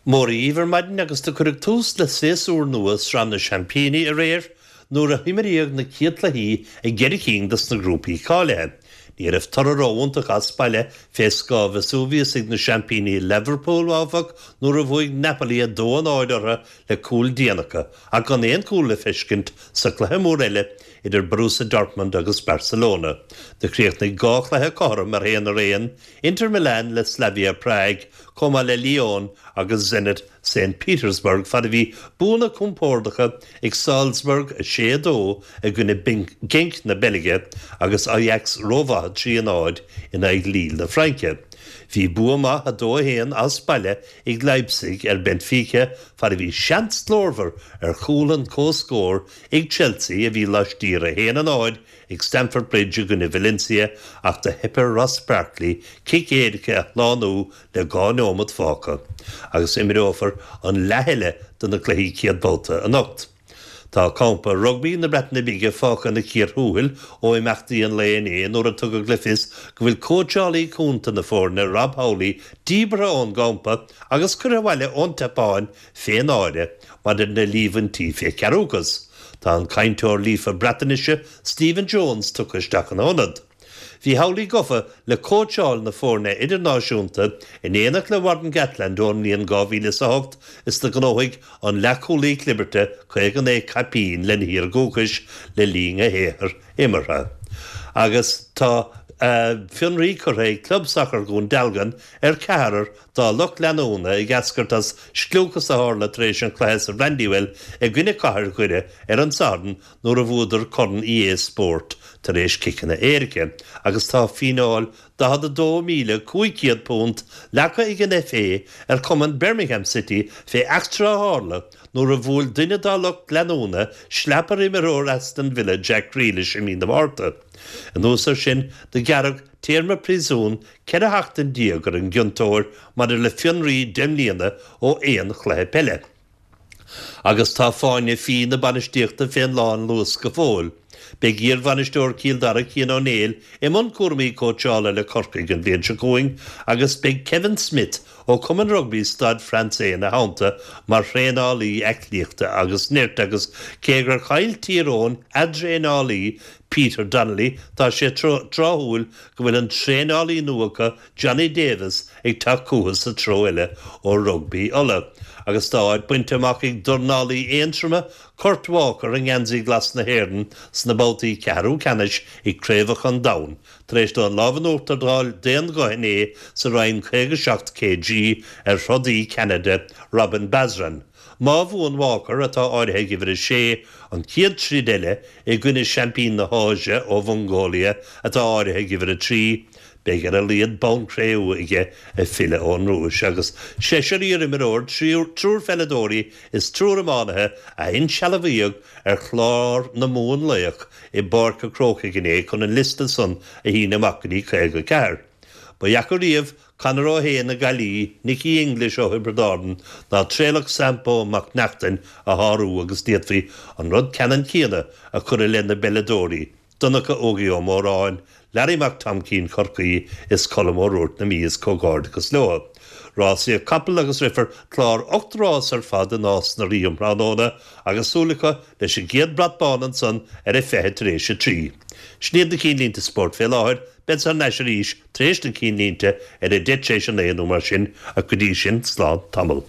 Móra dhíbh ar maidin agus do cuireadh tús le séasúr nua Sraith na Seaimpíní aréir nuair a himríodh na céad cluichí i gceithre cinn dos na grúpaí cáilithe. Ní raibh toradh ró-iontach as baile fé scáth Vesuvius ag na seaimpíní Leverpool, áfach, nuair a bhuaigh Napoli 2-0 orthu le cúl déanach ach gan aon chúl le feiscint sa chluiche mór eile idir Borussia Dortmund agus Barcelona. Do chríochnaigh dhá chluiche cothrom ar 1-1, Inter Milan le Slavia Prague, chomh maith le Lyon agus Zenit St Petersburg fad a bhí buanna compordacha ag Salzburg 6, 2 i gcoinne Genk na Beilge agus Ajax rómhaith 3, 0 in aghaidh Lille na Fraince. Bhí bua maith 2, 1 as baile ag Leipzig ar Benfica fad a bhí seans glórmhar ar chúl an comhscóir ag Chelsea a bhí laistiar 1, 0 ag Stamford Bridge i gcoinne Valencia ach do theip ar Ross Barkley cic éirice a shlánú le 2 neomat fágtha agus imreofar an leath eile de na cluichí céad babhta anocht. Tá campa rugbaí na Breataine Bige fágtha ina cíor thuathail ó imeachtaí an lae inné nuair a tugadh le fios go bhfuil cóitseálaí cúnta na foirne Rob Howley díbeartha ón gcampa agus curtha abhaile ón tSeapáin fé náire maidir lena líomhaintí fé chearúchas. Tá an cainteoir líofa Breatainise Stephen Jones tugtha isteach ina ionad. Bhí Howley gafa le cóitseáil na foirne idirnáisiúnta in éineacht le Warren Gatland ón mbliain 2008 is do ghnóthaigh an leathchúlaí clibirte 59 caipín lena thír dhúchais le linn a shaothair imeartha. Agus tá fionraí curtha ag Club Sacair Dhún Dealgan ar cheathrar dá lucht leanúna ag eascairt as scliúchas a tharla tar éis an chluiche sa Brandywell i gcoinne Cathair Dhoire ar an Satharn nuair a bhuadar Corn EA Sport tar éis ciceanna éirice agus tá fíneáil £42,500 leagtha ag an FA ar chumann Birmingham City fé eachtra a tharla nuair a bhuail duine dá lucht leanúna sleap ar imreoir Aston Villa Jack Grealish i mí na Márta. Anuas air sin do gearradh téarma príosúin 14 sheachtain ar an gciontóir maidir le fionraí 10 mbliana ó aon chluiche peile. Agus tá fáinne fí na bainistíochta fén lánluas go fóill. Beidh iarbhainisteoir Chill Dara Cian Ó Néill i mbun cúraimí cóitseála le Corcaigh an bhliain seo chugainn agus beidh Kevin Smith ó Chumann Rugbaí Staid Francais ina theannta mar thraenálaí aclaíochta agus nirt agus cé gur chaill Tír Eoghain a dtraenálaí Peter Donnelly tá sé tráthúil go bhfuil an traenálaí nua acu, Johnny Davis, ag teacht chucu sa treo eile ó Rugbaí Uladh. Agus tá áit bainte amach ag dornálaí Aontroma, Kurt Walker i ngeansaí glas na hÉireann sna babhtaí ceathrú ceannais ag Craobhacha an Domhain, tar éis dó an lámh in uachtar d'fháil d'aon ghuth inné sa roinn 57 kg ar throdaí Cheanada, Robin Basran. Má bhuann Walker, atá áirithe ag uimhir a sé, an chéad troid eile i gcoinne seaimpín na hÁise ó Mhongóilia, atá áirithe ag uimhir a 3, beidh ar a laghad bonn cré-umha aige ag filleadh ón Rúis. Agus seisear iarimreoir, triúr pheileadóirí is triúr iománaithe a insealbhaíodh ar chlár na mbuanlaoch i bPáirc a' Chrócaigh inné chun an liosta san a shíneadh amach go dtí 54. Ba dheacair riamh Conor Ó hAodha na Gaillimhe, Nicky English ó Thiobraid Árann ná Traolach Sampo Mac Neachtain a shárú agus d'fhéadfaí an rud ceannann céanna a chur i leith na bpeileadóirí, Donncha Ógie Ó Móráin, Larry Mac Tomcín Chorcaí is Colm Ó Ruairc na Mí is comhghairdeachas leo. Rásaíocht capall agus rithfear clár 8 rás ar fad i Nás na Ríogh um thráthnóna agus súil acu leis an gcéad brat bán ansan ar a 3:20 tar éis. Sin iad na cinnlínte spóirt fé láthair. Bead thar n-ais arís tar éis na cinnlínte ar a 9:10 nó mar sin, ach go dtí sin, slán tamall.